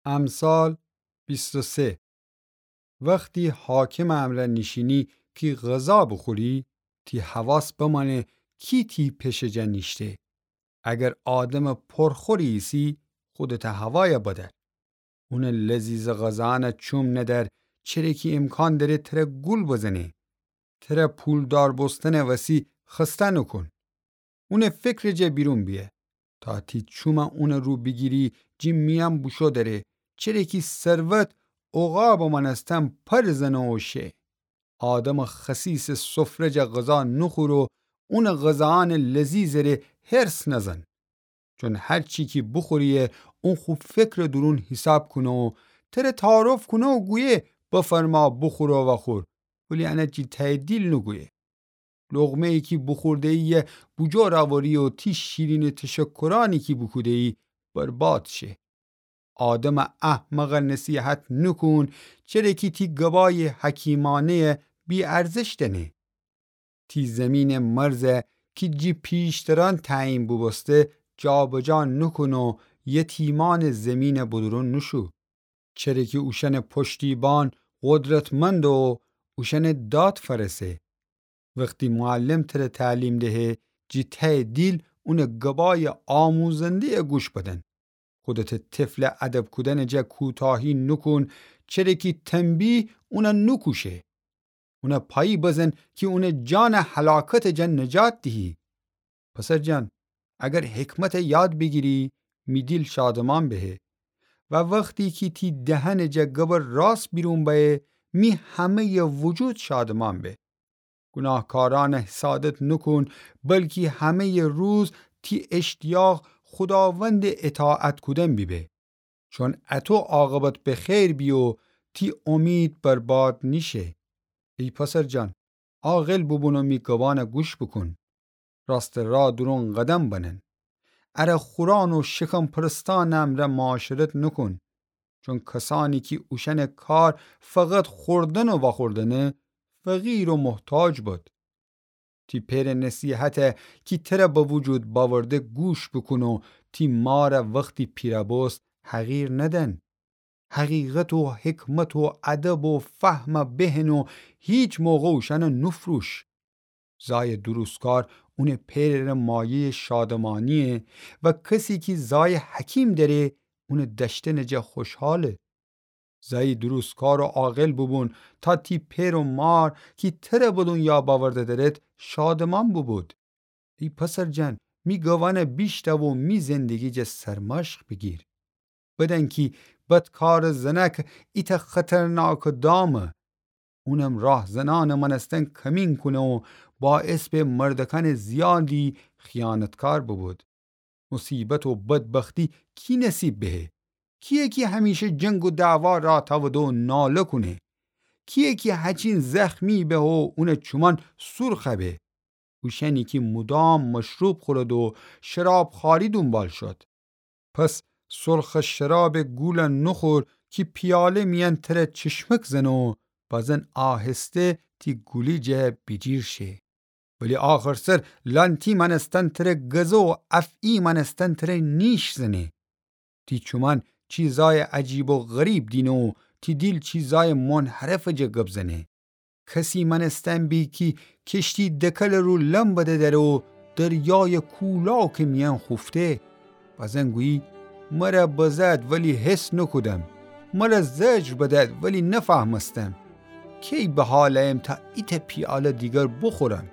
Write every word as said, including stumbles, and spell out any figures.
امثال بیست و سه. وختی حاکمٚ امرأ نیشینی کی غذا بوخوری، تی حواس بمأنه کی تی پشه جا نیشته. اگر آدمٚ پرخوری ایسی، خودتٚ هوایَ بدأر. اونٚ لذیذٚ غذاأنَ چوم ندأر، چره کی امکان دأره تره گول بزنه. تره پولدار بوستنٚ وسی خسته نوکون. اونٚ فکرٚ جا بیرون بیه. تا تی چومَ اونٚ رو بیگیری، جی میأن بوشو دأره، چره کی ثروت عقابٚ مأنستن پر زنه و شه. آدمٚ خسیسٚ سفره جا غذا نوخوره و اونٚ غذاأنٚ لذیذٚ ره حرص نزن. چون هر چی کی بوخوریی، اون خو فکرٚ دورون حیساب کونه و تره تعارف کونه و گویه: بفرما، بوخور و وخور، ولی انَ جی تهیٚ دیل نوگویه. لقمه‌یی کی بوخورده‌یی بوجور اوری و تی شیرینٚ تشکرأنی کی بوکوده‌یی برباد شه. آدمٚ احمقَ نصیحت نوکون، چره کی تی گبایٚ حکیمانه‌یَ بی‌ارزش دأنه. تی زیمینٚ مرزَ کی جی پیشترأن تعیین بوبوسته جابجا نوکون و یتیمأنٚ زیمینٚ بدورون نوشو. چره کی اوشأنٚ پشتیبان قدرتمند و اوشأنٚ داد فأرسه. وختی معلم تره تعلیم دهه، جی تهیٚ دیل اونٚ گبایٚ آموزنده‌یَ گوش بدن. خودتٚ طفلَ ادب کودنٚ جا کوتاهی نوکون، چره کی تنبیه اونَ نوکوشه. اونَ پایی بزن کی اونٚ جانَ هلاکتٚ جا نجات دیهی. پسر جان، اگر حکمتَ یاد بیگیری، می دیل شادمأن بهه. و وختی کی تی دهنٚ جا گبٚ راست بیرون بأیه، می همه‌یٚ وجود شادمأن به. گوناهکارأنَ حسادت نوکون، بلکی همه‌یٚ روز تی اشتیاق خوداوندٚ اطاعت کودن بیبه. چون اَطو عاقبت به خیر بی و تی امید برباد نیشه. ای پسر جان، عاقل بوبون و می گبأنَ گوش بوکون. راستٚ راه دورون قدم بنن. اره خورأن و شکم پرستأنٚ امرأ معاشرت نوکون. چون کسأنی کی اوشأنٚ کار فقط خوردن و وأخوردنه، فقیر و محتاج بد. تی پئرٚ نصیحتَ کی تره به وجود بأورده گوش بوکون و تی مارَ وختی پیرَ بوست حقیر ندن. حقیقت و حکمت و ادب و فهمَ بهن و هیچ موقع اوشأنَ نوفروش. زایٚ درستکار اونٚ پئرٚ مایه‌یٚ شادمأنییه و کسی کی زایٚ حکیم دأره، اونٚ دأشتنٚ جا خوشحاله. زای درستکار و عاقل بوبون، تا تی پئر و مار کی تره به دونیا بأورده دأرد، شادمأن بوبود. ای پسر جان، می گبأنَ بیشنو و می زندگی جا سرمشق بیگیر. بدأن کی بدکارٚ زنأک ایتأ خطرناکٚ دامه. اونم راهزنأنٚ مأنستن کمین کونه و باعث به مردأکأنٚ زیادی خیانتکار بوبود. مصیبت و بدبختی کی نصیب بهه؟ کییه کی همیشه جنگ و دعوا رأ تأوده و ناله کونه؟ کییه کی هچین زخمی به و اونٚ چومأن سورخ به؟ اوشأنی کی مودام مشروب خورد و شرابخوأری دونبال شد. پس سرخٚ شرابٚ گولَ نوخور کی پیاله میأن تره چشمک زنه و بازن آهسته تی گولی جا بیجیر شه. ولی آخرسر لأنتی مأنستن تره گزه و افعی مأنستن تره نیش زنه. تی چومأن چیزأیٚ عجیب و غریب دینه و تی دیل چیزأیٚ منحرفٚ جا گب زنه. کسی مأنستن بی کی کشتی دکلٚ رو لم بده دره و دریایٚ کولاکٚ میأن خوفته. بازن گویی: مرَ بزد ولی حس نوکودم. مرَ زجر بدد ولی نفهمستم. کی بحال أیم تا ایتأ پیاله دیگر بوخورم؟